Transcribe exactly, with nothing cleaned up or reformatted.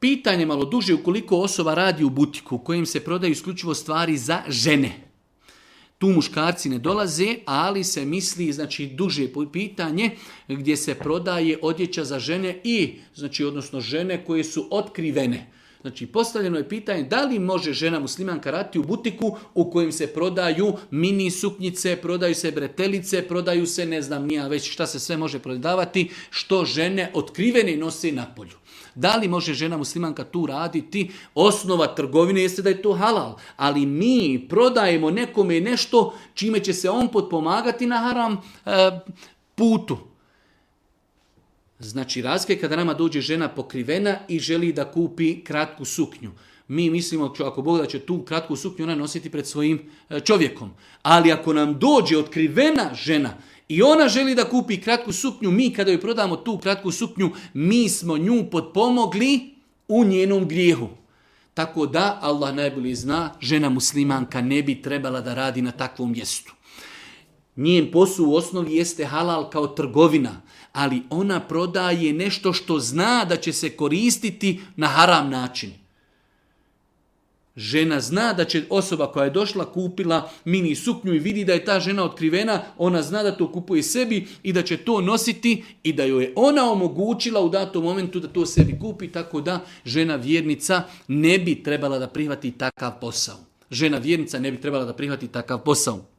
Pitanje malo duže, ukoliko osoba radi u butiku u kojem se prodaju isključivo stvari za žene. Tu muškarci ne dolaze, ali se misli, znači, duže pitanje gdje se prodaje odjeća za žene i, znači, odnosno žene koje su otkrivene. Znači, postavljeno je pitanje da li može žena muslimanka raditi u butiku u kojem se prodaju mini suknjice, prodaju se bretelice, prodaju se, ne znam nija već šta se sve može prodavati, što žene otkrivene nose napolju. Da li može žena muslimanka tu raditi? Osnova trgovine jeste da je to halal, ali mi prodajemo nekome nešto čime će se on potpomagati na haram e, putu. Znači, razlika je kada nama dođe žena pokrivena i želi da kupi kratku suknju. Mi mislimo, ako Bog da će tu kratku suknju ona nositi pred svojim čovjekom. Ali ako nam dođe otkrivena žena i ona želi da kupi kratku suknju, mi kada joj prodamo tu kratku suknju, mi smo nju potpomogli u njenom grijehu. Tako da, Allah najbolje zna, žena muslimanka ne bi trebala da radi na takvom mjestu. Njen posao u osnovi jeste halal kao trgovina, ali ona prodaje nešto što zna da će se koristiti na haram način. Žena zna da će osoba koja je došla, kupila mini suknju i vidi da je ta žena otkrivena, ona zna da to kupuje sebi i da će to nositi i da joj je ona omogućila u datom momentu da to sebi kupi, tako da žena vjernica ne bi trebala da prihvati takav posao. Žena vjernica ne bi trebala da prihvati takav posao.